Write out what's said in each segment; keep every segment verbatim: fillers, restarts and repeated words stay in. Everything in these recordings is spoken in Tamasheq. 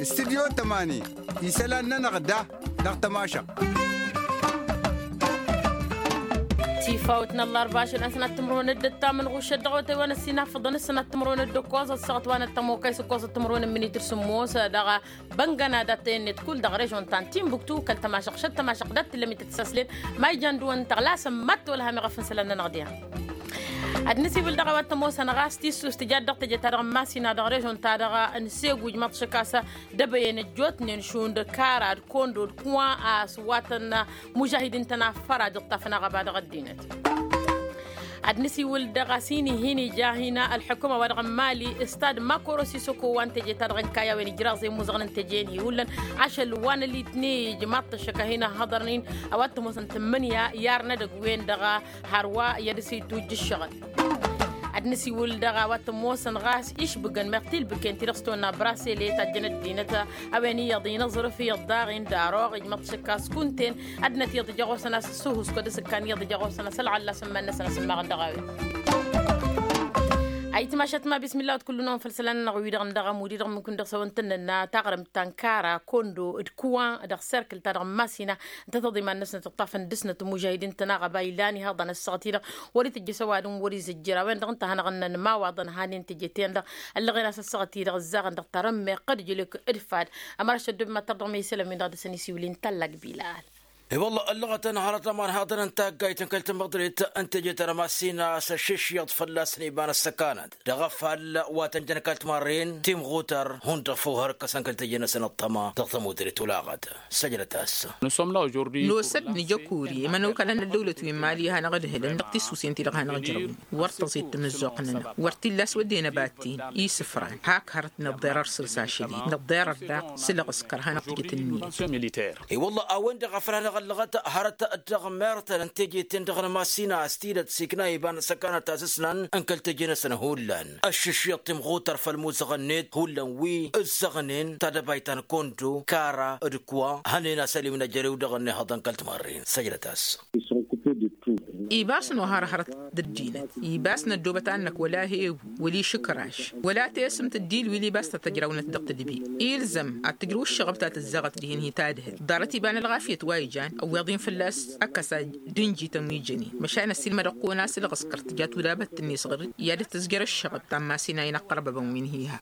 Studyo tămani isălan-nănăɣ da dăɣ-tămašăɣt. Tifawt n-ăllarba ašăl n-sănat timǝrwen d-ǝttam n-ɣušăt dăɣ-otăy wa n-ăssinafăḍăn s-sănat timǝrwen d-ǝkkoẓăt săɣăt wa n-ăttămokay s-ǝkkoẓăt timǝrwen n-minit d-sǝmmos dăɣ-băngăna dat-tăyănnet kull dăɣ-režon ta n-timbuktu kăl-tămašăɣt šăt tămašăɣt dat-tǝllăm itǝssăslen ma ijan dăɣ-wăn tăɣlasăm mad-tolham iɣăf n-isălan-nănăɣ diha. Ad-nǝsiwǝl dăɣ-a-wa t-ămoosăn ɣas tissus tǝjat dăɣ-teje-ta-dăɣ n-masina dăɣ-režon-ta-dăɣ n-segu ijmaḍ šăkasă d-ebăyen ăjjootnen šund kara d-kondo d-kuwa a-s wa tăn-mužahidin tăn-afăra dăɣ-tafnaɣ ăba dăɣ-ăddinăt. Ad-nǝsiwǝl dăɣ-a-s hin-i hin-ija hin-ălḥukuma wa dăɣ-n mali stad makoro sisoko wa n-teje-ta-dăɣ n-kayy a-wen ijraẓ i-imuzăɣăn n-teje-en hi-hullan ašăl wa n-ălitni ijmaḍ-t ăššăk a hin-ăhhăḍărnen a-wa t-ămoosăn tǝmmǝnǝya i-arnădăg-wen-dăɣ hărwa i-ad-dăr-s itujj ǝššăɣǝl. Ad-nǝsiwǝl dăɣ-a-wa t-ămoosăn ɣas išbǝgăn meɣ tilbǝken-ti-dăɣ s-tonna brasele tajjăn ăddinăt a-wen iyyăḍ inǝẓrǝf iyyăḍ daɣ indaroɣ ijmăḍ šăkka s-kunta-en. Ăddinăt iyyăḍ ija ɣur-săn a-s ǝssuhǝskod s-ǝkkan iyyăḍ ija ɣur-săn a-s ălɣalla s-ǝmman-năsăn a-s ǝmmaɣăn dăɣ-a-wen. Ayǝtmašat ma bismilla wăt kull-năwăn făll-isălan-nănăɣ wi-dăɣ n-dăɣ-amud-i-dăɣ mǝnkun dăɣ-s a-wen tǝnnănna taɣrǝmt ta n-kara kondo d-kuwa dăɣ-serkǝl-ta-dăɣ n-masina ǝnta tăḍiman-năsnăt ǝṭṭafăn dăr-snăt n-imužahidin-tăn aɣăba ilan ihăḍăn ăssaɣăt-i-dăɣ wăr-itǝjjăs ăwadǝm wăr-izǝjjăr a-wen-dăɣ ǝnta a hanăɣ-ǝnnăn imawaḍăn hanen teje-ten-dăɣ ăllăɣen a-s ăssaɣăt-i-dăɣ ǝzzaɣăn dăɣ-tarămme ɣǝd-jǝlǝk d-fad. Ămăraš ăddob mad-tărdăɣ ma isălan-win-dăɣ dăr-săn isiwǝl-i n-tallak bilal. I-wălla ăllăɣătăn hărăt ămanhaḍăn n-taggayt n-kăl-tamăḍrit n-teje-ta-dăɣ n-masina a-s ăššǝššǝyăḍ fălla-săn iba n-ăssăkanăt dăɣ-afall wa tăn-jăn kăl-timarren timɣutăr hundăɣ făw hărkăsăn kăl-teje-năsăn ăṭṭăma dăɣ-tamudrit olaɣăt. Săjdăt-as. Nosăt nǝja kori imănokălăn n-ăddăwlăt wi n-mali hanăɣ-ǝdhǝlăn dăɣ-tissusen-ti-dăɣ hanăɣ-ǝjrăwăn wăr tăẓi d-tamǝzzuɣt-nănăɣ wăr t-illa a-s wădden ăbaten isǝfran hak hărăt nǝḍḍer ărsǝl s-ašăl-i nǝḍḍer ărdaq s-ǝlɣǝskăr hanăɣ-tǝjǝt ǝnniyăt. I-wălla a-wen-dăɣ a făl hanăɣ-ăllăɣăt hărăt dăɣ-mertăn n-teje-ten-dăɣ n-masina a-s tidăt s-ikna iba n-ăssăkanăt ta s-ǝsnan n-kăl-teje-năsăn hullan ăššǝššǝyăḍ timɣutăr făll-imuzăɣ-net hullan wi ǝzzăɣnen tadăbayt ta n-kondo kara d-kuwa hănen asălim n-ejărew dăɣ-ănnihăḍăn kăl-timărren săjdăt-as. Ibas n-ohar hărăt d-ăddinăt ibas n-ăddoobăt annăk wăla hebu wăla išǝkraš wăla tesǝmt d-ilwil ibas tăt-ăjrawnăt dăɣ-tadbi ilzăm ad-tǝjrǝw ǝššăɣăb ta tǝzzaɣăt dihen hi-tadhǝlt ḍarăt iba n-ălɣafyăt wa ijan ăwweḍ-in fălla-s ăkkăs ad-dd-ǝnjităn wi jănen măšan ăssiilmădăɣ-kăwăn-as ǝlɣǝskăr tǝja tudabăt-net s-ɣǝr-dd i-ad-dd-tǝzjăr ǝššăɣăb ta n-masin a inăqqărbăbăn wi n-hi-ha.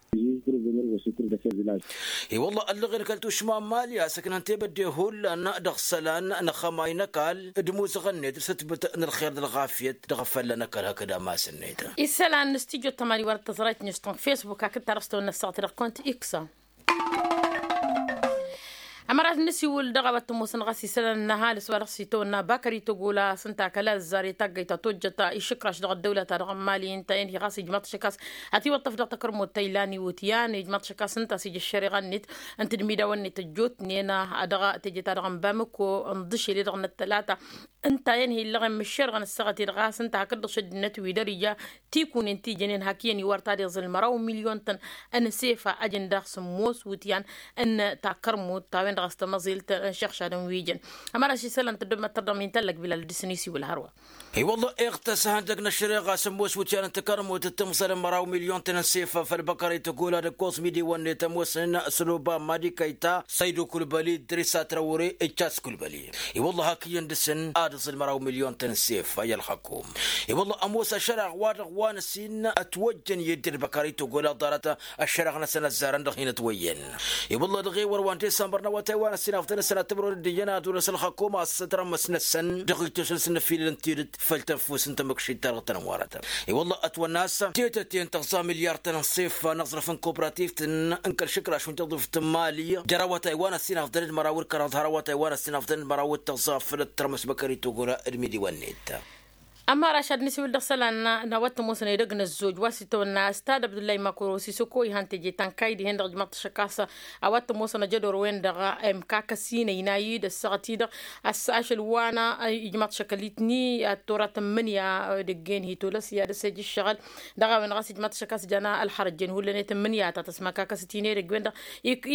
I-wălla ăllăɣen kăl-tušma n-mali a-s ǝknăn tebădde hullan dăɣ-isălan n-axămay n-ăkall d-imuzăɣăn-net d-sătbǝt n-ălxer d-ălɣafyăt dăɣ-afălla n-ăkall hakd amas-net. Isălan n-studyo tămani wăr tăẓrayt n-ǝšṭănk facebook hakd tarăstăwăn n-ăssaɣăt dăɣ-kont iksa. Ămărat n-ǝsiwǝl dăɣ-a-wa t-ămoosăn ɣas isălan n-ăhalǝs wa dăɣ-s itawănna bakări tăgola s-ǝnta kăla ăzzar i-taggăyt ta tojjăt išǝkraš dăɣ-ăddăwla-ta-dăɣ n-mali ǝnta-en hi-ɣas ijmaḍ-t šăk a-s ătiwăṭṭăf dăɣ-takărmut ta ilan iwǝtyan ijmaḍ-t šăk a-s ǝnta a-s ija ăššăreɣa-net n-tǝdmidawăn-net ăjjootnen dăɣ-teje-ta-dăɣ n-bamǝko n-iḍǝšel i-dăɣ n-ăttălata ǝnta-en hi-illăɣen mǝššerɣăn ăssaɣăt-i-dăɣ ɣas ǝnta hakd-dăɣ šăddinăt wi dăr-ija tikunen ti jănen hak iyyăn iwar ta deẓ ǝlmăraw milyon-tăn n-sefa ăjǝn daɣ sǝmmos wǝtyan n-takărmut ta-wen-dăɣ a-s tamăẓilt n-išăɣšadăn wi jăn. Ămăra ašisălăn tăddobmăt tărdăɣ mi n-tallăg bilal d-isăn isiwǝl hărwa. I-wălla iɣtăs ihăndăg n-ăššăreɣa sămmos wǝtyan n-takărmut d-tǝmẓăl n-măraw milyon-tăn n-sefa făll-băkăre tăgola d-ǝkkoẓ midiwăn-net ămoosnen s-ăloba madi kăyta săydu kulbăli d-risa trawre ǝccas kulbăli. I-wălla hak iyyăn dăr-săn ad-ǝẓǝl măraw milyon-tăn n-sefa i-ălxăkum. I-wălla ămoos ašăraɣ wa dăɣ-wa n-ăsin ătwăjjăn i-dd-ălbăkări tăgola ḍarăt ăššăraɣ-năsăn ăzzarăn dăɣ-hin-ătwăyyăn. I-wălla dăɣ-ewăr wa n-disămbăr n-awătay wa n-ăssin afḍăn-năsăn ad-tǝmrăwăn d-iyyăn ad-olăs ălxăkum a-s ătrămmăs-năsăn dăɣ-itosăn s-nǝfilǝl n-tidǝt făll-tănfus n-tamǝkšit-ta-dăɣ tăn-ămwarăt. I-wălla ătwănna a-s tetăt-en tăɣẓa milyar-tăn n-sefa n-aẓrǝf n-koprativt n-kăl-išǝkraš wi n-tăḍuft n-mali jer-awătay wa n-ăssin afḍăn d-măraw d-kăraḍ har awătay wa n-ăssin afḍăn d-măraw d-tăɣẓa făll-ătt tărmăs băkări togora d-midiwăn-net. Ămăra ašad n-isiwǝl dăɣ-isălan n-a-wa t-ămoosăn edăgg n-ăzzoj wa s-itawănna a-s tad-abdullay makoro sisoko ihan teje ta n-kayy dihen-dăɣ ijmaḍ-t šăkk a-s a-wa t-ămoosăn ajădor-wen-dăɣ imkakăs-in ăynay-dd ăssaɣăt-i-dăɣ a-s ašăl wa n-ijmaḍ-t šăkk ălitni ad-tora tǝmmǝnǝya dăgg-en hi-tolăs i-ad-dăr-s ija ǝššăɣǝl dăɣ-a-wen ɣas ijmaḍ-t šăkk a-s jan ălxărăjjen hullan i-tǝmmǝnǝya ta tăsmăkakăs-t-in edăgg-wen-dăɣ.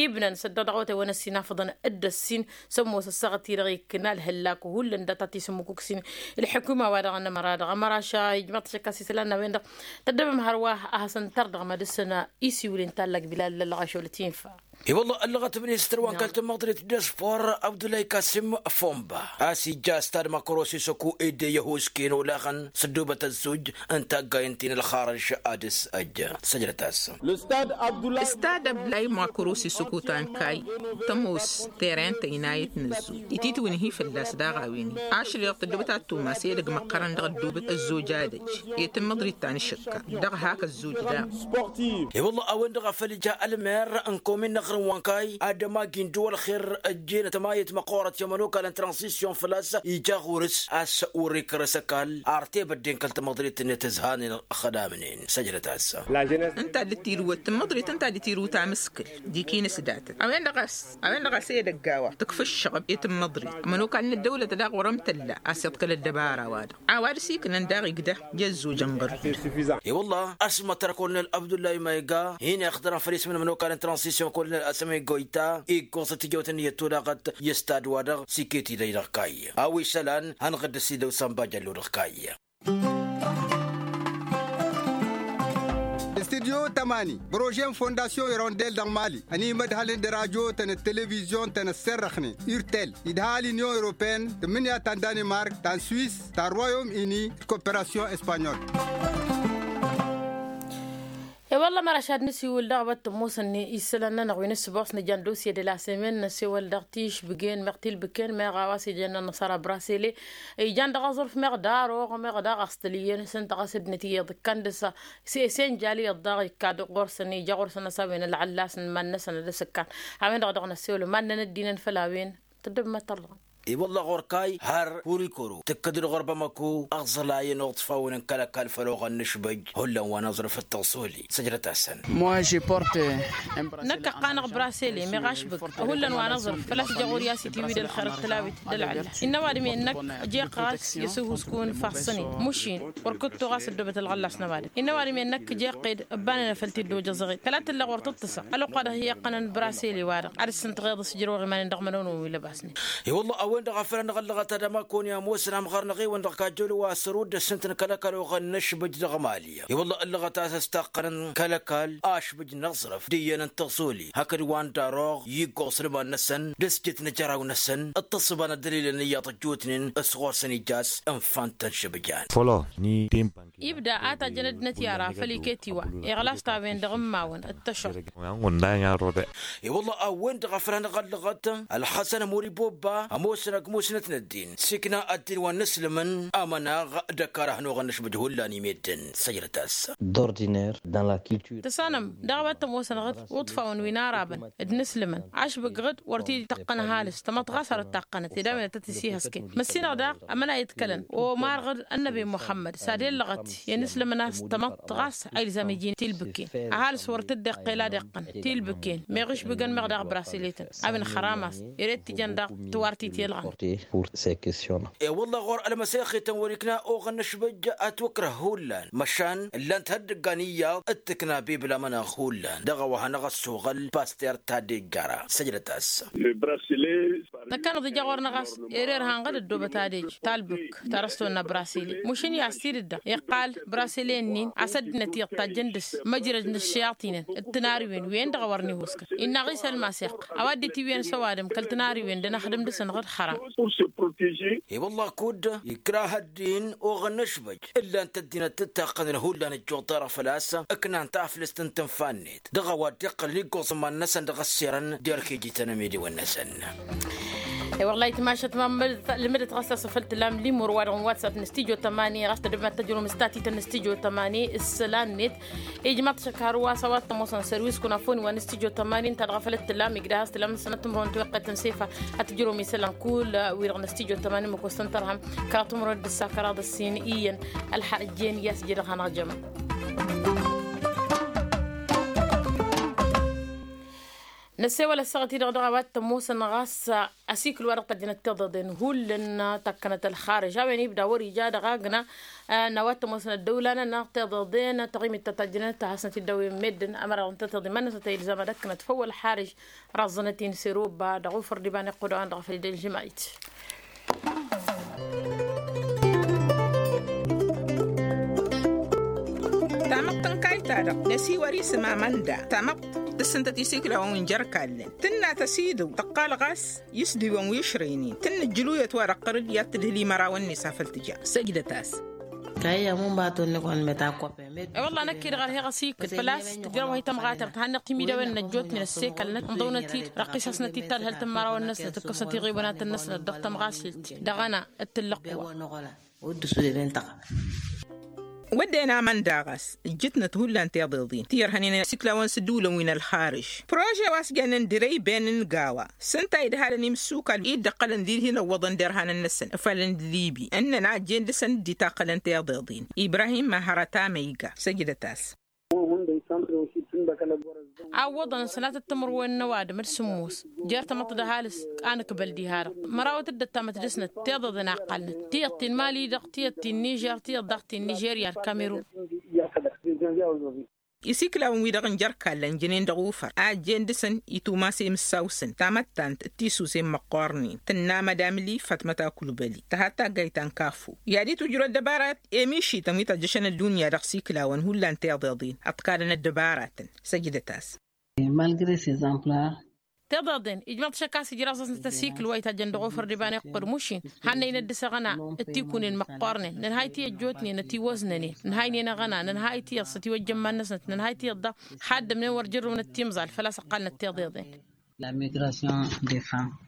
Ibnăn săddăɣ dăɣ-awătay wa n-ăssin afǝḍăn dd-ăssin s-ămoos ăssaɣăt-i-dăɣ ikkǝn alhǝllak hullan data tisǝmmǝkuksin. Ǝlḥǝkuma wa dăɣ-nămăra dăɣ-ămăraša ijmaḍ-t šăkk a-s isălan n-a-wen-dăɣ tăddăbăm hărwa a hasăn-tărdăɣ ma dăr-săn isiwǝl n-tallak bilal lălɣašol tinfa. I-wălla ăllăɣăt ministăr wa n-kăl-tămăḍrit d-spor abdulay kasim fomba a-s ija stad makrosi săku ede i-ăhusken olaɣăn s-ăddoobăt ăzzuj n-taggay n-ti n-ălxarăj ad-s ăjja săjdăt-as. Stad abdulay makrosi săku ta n-kay tămoos teren tăynayăt n-ăzzuj ititwǝnhi fălla-s daɣ a-wen-i ašăl iḍăt ăddoobăt ad-tumas edăgg măqqărăn dăɣ-ăddoobăt ăzzuj ad-ăj i-tămăḍrit ta n-ašǝkka dăɣ-hak ăzzuj daɣ. I-wălla a-wen-dăɣ a făl ija ălmer n-komin n-aɣrǝm wa n-kay ad-ămagi n-dd-wălxer ăjjeen tămayăt măqqoorăt i-ămănokal n-transisyon făl-a-s ija ɣur-s a-s wăr-ikărăs ăkall ar tebădden kăl-tamăḍrit-net ǝzhanen ăxdamnen săjdăt-as. Ǝnta a dd-tirǝwăt tămăḍrit ǝnta a dd-tirǝwăt amǝskǝl d-ikinǝs datăt a-wen-dăɣ a-s a-wen-dăɣ a-s edăgg a-wa tǝkf ǝššăɣăb i-tămmăḍrit ămănokal n-ăddăwlăt daɣ wăr-ămtălla a-s iḍkăl ăddăbara-wa-dăɣ a-wa dăr-s iknăn daɣ igdă i-ăzzoj ănɣăr-dd. I-wălla ăsmătăr kolonel abdullahi mayga hin-ixdărăn făll-ism n-ămănokal n-transision kolonel asămay goyta iggoẓăt tijăwt n-iyyăt tulaɣăt i-ăstad-wa-dăɣ s-iket idăy dăɣ-kayy a-wa isălan hanăɣ-dd-ăsidăw sănba jăllu dăɣ-kayy. Studyo tămani brožen fondasyon irondel dăɣ-mali ănimădhălăn d-rajo-tăn d-televizyon-tăn ăssirrăxnen urtel idha l-inyon europeen tǝmmǝnǝya ta n-danimark ta n-swis ta n-royom ini d-koperasyon espanyol. E-wălla măraš ad-nǝsiwǝl dăɣ-a-wa t-ămoosăn isălan-nănăɣ wi n-ǝssǝboos nǝjan dosye de la semen năsewăl dăɣ-tišbǝgen meɣ tilbǝken meɣ a-wa s-ijăn ănnăṣara brasele ijan dăɣ-aẓrǝf meɣ d-aroɣ meɣ daɣ a-s tăl iyyăn s-ǝnta ɣas ăddinăt iyyăḍ ǝkkan dăɣ-s s-e-s enjal iyyăḍ daɣ ikka-dd ɣur-săn ija ɣur-săn a-s a-wen ălɣăllas n-iman-năsăn ad-ăsǝkkan. A-wen-dăɣ dăɣ-năssewăl iman-nănăt d-inăn făll-a-wen tăddăbmăt tărlăɣăn. I-wălla ɣur-kay har hurikoro tǝkkăd-dd ɣur-bamăko ăẓlayăn uḍfawăn n-kăl-ăkall făll-oɣăn n-ašbăj hullan wa n-aẓrǝf d-taẓoli săjdăt-asăn. Năkk ăqqanăɣ brasele meɣ ašbăk hullan wa n-aẓrǝf făl-a-s ija ɣur-i a-s itiwǝy d-ălxer d-tălawit d-ălɣălla. Innă ăwadǝm i-ănnăk ija iqqăr a-s i-ăsuhǝskǝwăn ifassăn-in mušin wăr kǝttoɣ a-s ăddoobăt ălɣăllas n-ăwadǝm innă ăwadǝm i-ănnăk ija iqqed ǝbbanăn afăl t-dd-ojăẓăɣ-ed kăla tǝllăɣ wăr tǝṭṭǝsăɣ ălwăqq wa dăɣ-hi-iqqănăn brasele-wa-dăɣ ad-dd-sǝntăɣeḍ s-ijrăwăɣ iman-in dăɣ-imănăwnăwăn wi lăbasnen. I-wălla a-wen-dăɣ a făl anăɣ-ăllăɣăt ad-ămakon i-ămoosăn amɣar n-aɣewăn dăɣ-kajjăwlo wa săr-udd ăssintăn kăl-ăkall oɣăn n-ašbǝj dăɣ-mali i-wălla ăllăɣăt a-s ăstaqqănăn kăl-ăkall ašbǝj n-aẓrǝf d-iyyăn n-taẓoli hakd wa n-daroɣ i-iggoẓ n-iman-năsăn d-asjăt n-ajăraw-năsăn d-taṣṣǝba n-ăddălilăn iyyăḍ ăjjootnen s-ɣur-săn ija a-s ǝnfa n-tăn-šǝbjan. Fălăɣ n-i tǝnpăn ibda a tajjăn ăddinăt i-ara făl iket iwa iɣlas ta a-wen-dăɣ n-imawăn d-tăšăr. I-wălla a-wen-dăɣ a făl hanăɣ-ăllăɣăt ălxăsăn ămuri bobba ămoosăn ăgg musnăt n-ăddin s-ikna ăddin wa n-inǝslǝmăn amănaɣ d-ăkall a hănoɣăn n-ašbǝj hullan i-meddǝn săjdăt-as. Tăsanăm daɣ a-wa t-ămoosănăɣ-dd uḍfawăn wi n-arabăn d-inǝslǝmăn ašbǝk ɣǝd wăr t-dd-tăqqăn ăhalǝs tamăḍt ɣas har ǝttaqqănăt ed a-wen ad-tăt-issihăsken măssinăɣ daɣ ămănay ǝḍkălăn omar ɣǝd ănnăbi muḥămmăd s-ad-illăɣăt i-inǝslǝmăn a-s tamăḍt ɣas a ilzam iji tilbǝkken ăhalǝs wăr t-dd-iqqel ad-iqqăn tilbǝkken meɣ išbǝgăn meɣ daɣ brasiletăn a-wen xăramas ere t-ijăn daɣ tiwartit i-ălɣan. E-wălla ɣur-ălmăsexităn wăr-ikna oɣăn n-ašbăjj ătwǝkrăh hullan măšan ǝllan-t hăddǝggan iyyăḍ d-tǝkna bibla mănăɣ hullan dăɣ-a-wa hanăɣ-ăssoɣăl paster tadejjara săjdăt-as. Tăkkanăḍ ija ɣur-năɣ a-s ere irhan ɣǝd ăddoobăt ad-ej talbǝk ta dăr-s tonna brasile mušǝn i-a-s tidǝdda iqqal brasile-nin a-s ăddinăt iyyăḍ tajjăn dăr-s măjrăd n-ǝššăyaṭinăn d-tinariwen wen-dăɣ a wăr n-ihuskan innă ɣisa ălmaseɣ ăwadǝm-t iwǝyăn s-ăwadǝm kăl-tinariwen d-ănăxdǝm dăr-săn ɣǝd xăram. I-wălla kud ikrah ăddin oɣăn n-ašbăj ǝllan-t ăddinăt ǝttaqqănăn hullan ăjjuḍ-ta-dăɣ făl-a-s ǝknan taflǝst n-tǝnfa-net dăɣ-a-wa dd-iqqălăn iggoẓ n-iman-năsăn dăɣ-ăssirăn d-erk iji-tăn ămediwăn-năsăn. E-wălla-hi timašat ma lǝmǝdăt ɣas a-s afăl tǝllam limur-wa-dăɣ n-watsap n-studyo tămani ɣas tădǝbmat tăjrǝwăm s-tatităn n-studyo tămani s-isălan-net. Ijmaḍ-t šăkar wa s-a-wa t-ămoosăn sărwis kunafoni wa n-studyo tămani ǝnta-dăɣ a făl t-tǝllam igdăh a-s tǝllam n-sănăt timǝrwen tiwăqqet n-sefa ad-tǝjrǝwăm isălan kull wi-dăɣ n-studyo tămani măkos tăn-tărhăm kăraḍ timǝrwen d-ǝssa kăraḍ ǝssin iyyăn ălxăjjen i-a-s ije dăɣ-hanăɣ-jămăn. Năssewăl ăssaɣăt-i-dăɣ dăɣ-a-wa t-ămoosăn ɣas asikǝl-wa-dăɣ tăjjănăt tiḍeḍen hullan tăkkănăt ălxarǝj a-wen ibda wăr-ija dăɣ-agna n-a-wa t-ămoosăn ăddăwla-nănăɣ tiḍeḍen taɣimit ta tăjjănăt hasnăt-dd a-wen meddǝn ămăraḍ n-tătiḍi iman-năsăn ta ilzam ad-ăkkănăt făw ălxarǝj raẓẓănăt-in s-eroba dăɣ-ufăr d-iba n-iqqud a-wen-dăɣ făl dd-ălžǝmăyt. Tamăḍt n-kayta-dăɣ năsiwăr isǝm amănda tamăḍt Tǝssǝntăt isiklawăn wi n-jer-ikallăn tǝnna tăsidǝw tăqqal ɣas isdǝwăn wi ǝšrăynen tǝnnǝjjǝluyăt wa dăɣ-tărǝd i-ad-tǝdhǝl imărawăn-net afăl tǝja. Săjdăt-as. Kăyya munba tonni kăwăn-met a kop. E-wălla năkk-i-dăɣ ărheɣ asikǝl făl-a-s tǝjrăw-hi tămɣatărt hannăɣ-t imidăwen n-ăjjootnen ăssekalnăt ǝnḍăwnăt-dd răqqisăsnăt-dd tadhǝlt n-imărawăn-năsnăt ǝkkăsnăt iɣiwănatăn-năsnăt dăɣ-tămɣasilt dăɣ-ăna d-tǝllăqq wa. Wădden aman daɣ a-s ǝjjǝtnăt hullan tiḍeḍen ti ărhănen isiklawăn s-ǝddǝwǝlăn wi n-ălxarǝž. Prože wa s-jănnen dirăyben n-gawa s-ǝnta idhalăn imǝssukal-i dd-ăqqălăn d-idhin ăwwăḍăn derhanăn-năsăn ǝfalăn d-libi ǝnnăn a ăjjeen dăɣ-săn dd-itaqqălăn tiḍeḍen. Ibrahim mahărăt amăyga săjdăt-as. A ǝwwăḍăn sănatăt timǝrwen n-ăwadǝm d-sǝmmos jer-tamăḍt d-ăhalǝs. A nǝkbăl diha-dăɣ mărawăt dd-ăttamăt dăɣ-snăt tiḍeḍen a ǝqqalnăt tiyyăḍ ti n-mali-dăɣ tiyyăḍ ti n-nižer tiyyăḍ daɣ ti n-nižerya d-kamerun. Isiklawăn-wi-dăɣ n-jer-ikallăn jănen dăɣ-ufăr a ăjjeen dăɣ-săn itumase imǝssaw-săn tamăttant d-tisusen măqqoornen tǝnna mădamli fatmăt akulbăli tăhat taggayt ta n-kafu i-ad-itwǝjrăw ăddăbarat. Emišităn wi tăjjăšăn ăddunya dăɣ-isiklawăn hullan tiḍeḍen ăḍkalăn ăddăbaratăn. Săjdăt-as. Malgre s-exemplar. Tiḍeḍen ijmăḍ šăkk a-s ijraẓ-asnăt asikǝl wa itajjăn dăɣ-ofăr d-iba n-iqqǝd mušin hannăynăt dăɣ-s aɣăna d-tikunen măqqoornen nǝnhay ti ăjjootnen ătiwăznănen nǝnhaynen aɣăna nǝnhay tiyyăḍ s-ătiwăjjăn iman-năsnăt nǝnhay tiyyăḍ daɣ. Haddǝmnen wăr jărrǝwnăt timẓal făl-a-s ǝqqalnăt tiḍeḍen. La migration des femmes.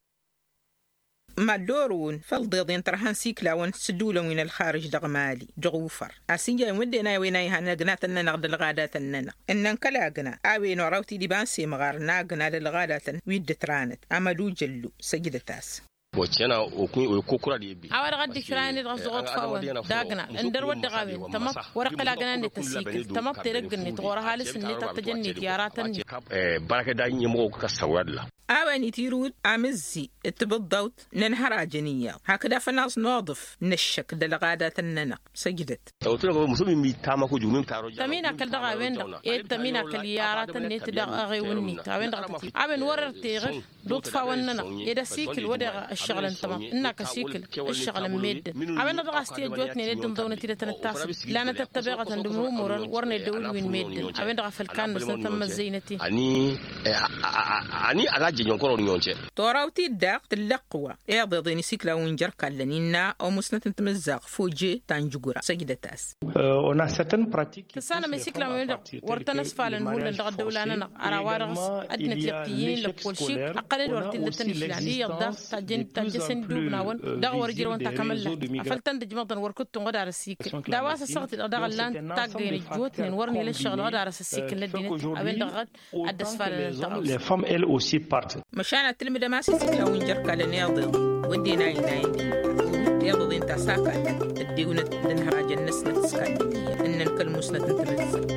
Mad-dd-orǝwăn făll-iḍeḍen tărha n-isiklawăn s-ǝddǝwǝlăn wi n-ălxarǝj dăɣ-mali dăɣ-ufăr a-s ija iwǝdden a-wen a ihăn ăgnatăn-nănăɣ d-ălɣadatăn-nănăɣ ǝnnăn kăla ăgna a-wen oraw-t-dd iba n-semɣar n-agna d-ălɣadatăn wi dd-ǝtranăt. Amădujăllu săjdăt-as. A-wa-dăɣ a dd-ikranen ɣas dăɣ-oḍfawăn d-agna ǝndăr wăr dăɣ-a-wen tamăḍt wăr-iqqǝl agna-net ăsikǝl tamăḍt edăgg-net ɣur-ăhalǝs-net ad-tăjănnet i-aratăn-net. Bărăkăt daɣ n-imɣuk kăssăwălla. A-wen itirǝwǝd amǝzzi d-tibǝḍḍawt n-ănhărajăn iyyăḍ hakd afănaẓ n-oḍǝf n-ăššăk d-ălɣadatăn-nănăɣ. Săjdăt. Tămina kăl-dăɣ a-wen-dăɣ ed tămina kăl-i aratăn-net dăɣ-eɣewǝn-net a-wen-dăɣ a tăt-dd a-wen wăr-ărteɣăl d-uṭṭfawăn-nănăɣ ed ăsikǝl wădeɣ ǝššăɣǝlăn tamăḍt ǝnnak ăsikǝl ǝššăɣǝlăn meddǝn. A-wen-dăɣ dăɣ-a-s ti ăjjootnen ed ǝnḍăwnăt-i dăɣ-tăn-ǝttasăt lanăt ăttăbeɣătăn d-imrumurăn wăr n-eddăwǝl wi n-meddǝn. A-wen-dăɣ a făl kannăsnăt ămmăzzăynăt-in. Ani a-la jăjmăn kăro-nănăɣ. Toraw-t-dd daɣ tǝllăqq wa iḍeḍen isiklawăn wi n-jer-ikallăn innă omusnăt n-timǝzzaɣt foje ta n-jugura săjdăt-as. Tǝssanăm isiklawăn-wi-dăɣ wăr tăn-ăsfalăn hullan dăɣ-ăddăwla-nănăɣ. Ăra wa dăɣ-s ăddinăt iyyăḍ ti ǝyyǝn lăkkol šik ăqqălăn-dd wăr t-illa tăn-išlan iyyăḍ daɣ tajjăn tajjăsăn-dd ubnawăn dăɣ-wăr ǝjrăwăn takămăllat. Afăl tăn-dd-ǝjmăḍăn wăr kǝttun ɣǝd arăs ikǝl d-a-wa s-ăssaɣăt-i-dăɣ daɣ ǝllan taggăyăn ǝjjootnen wăr n-ila ǝššăɣǝl ɣǝd arăs ăsikǝl n-ăddinăt. A-wen-dăɣ ɣǝd ad-dd-ăsfalăn ăntăɣ. Măšan ad-tǝlmǝdăm a-s isiklawăn jer-ikallăn iḍeḍen wădden a inayăn d-iḍeḍen ta s-akallăn ăddewnăt d-ănhărajăn-năsnăt s-kallăn iyyăn ǝnnăn kăl-musnăt n-timǝzzăɣt.